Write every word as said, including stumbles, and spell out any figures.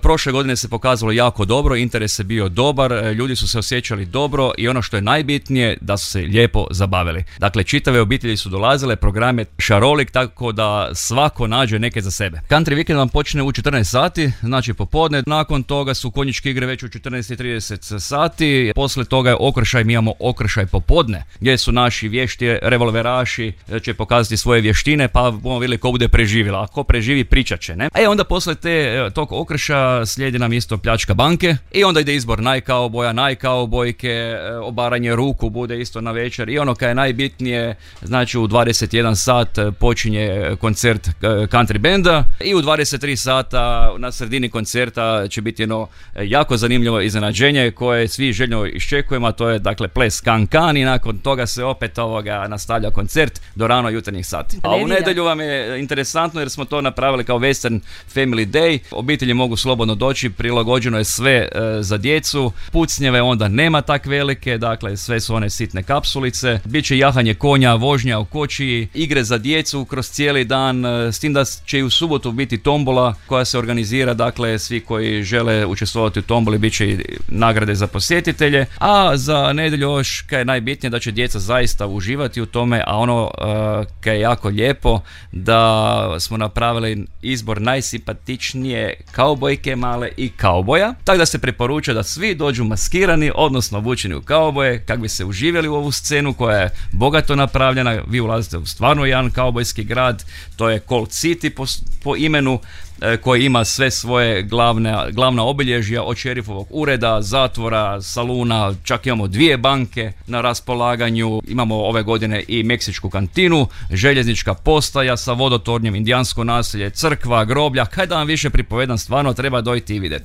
Prošle godine se pokazalo jako dobro, interes je bio dobar, ljudi su se osjećali dobro i ono što je najbitnije, da su se lijepo zabavili. Dakle, čitave obitelji su dolazile, program je šarolik, tako da svako nađe neke za sebe. Country Weekend vam počne u četrnaest sati, znači popodne, nakon toga su konjičke igre već u četrnaest i trideset sati, poslije toga je okršaj, mi imamo okršaj popodne, gdje su naši vješti revolveraši, će pokazati svoje vještine, pa bomo vidjeli ko bude preživjela, a ko preživi pričat će, ne? E onda poslije te, tog okrša slijedi nam isto pljačka banke i onda ide izbor najkauboja, najkaubojke, obaranje ruku bude isto na večer i ono kaj je najbitnije, znači u dvadeset jedan sat počinje koncert country benda i u dvadeset tri sata na sredini koncerta će biti jedno jako zanimljivo iznenađenje koje svi željno iščekujemo, a to je dakle ples kan-kan i nakon toga se opet ovoga nastavlja koncert do rano jutarnjih sati. A u nedjelju vam je interesantno jer smo to napravili kao Western Family Day, obitelji mogu slobodno doći, prilagođeno je sve e, za djecu, pucnjeve onda nema tak velike, dakle sve su one sitne kapsulice, bit će jahanje konja, vožnja u kočiji, igre za djecu kroz cijeli dan, e, s tim da će i u subotu biti tombola koja se organizira, dakle svi koji žele učestvovati u tomboli bit će i nagrade za posjetitelje, a za nedjelju još kaj je najbitnije da će djeca zaista uživati u tome, a ono e, kaj je jako lijepo da smo napravili izbor najsimpatičnije kaubojke male i kauboja, tako da se preporuča da svi dođu maskirani, odnosno obučeni u kauboje, kako bi se uživjeli u ovu scenu koja je bogato napravljena. Vi ulazite u stvarno jedan kaubojski grad, to je Colt City po, po imenu, koji ima sve svoje glavne, glavna obilježja od šerifovog ureda, zatvora, saluna, čak imamo dvije banke na raspolaganju, imamo ove godine i meksičku kantinu, željeznička postaja sa vodotornjem, indijansko naselje, crkva, groblja, kaj da vam više pripovedam, stvarno treba dojti i vidjeti.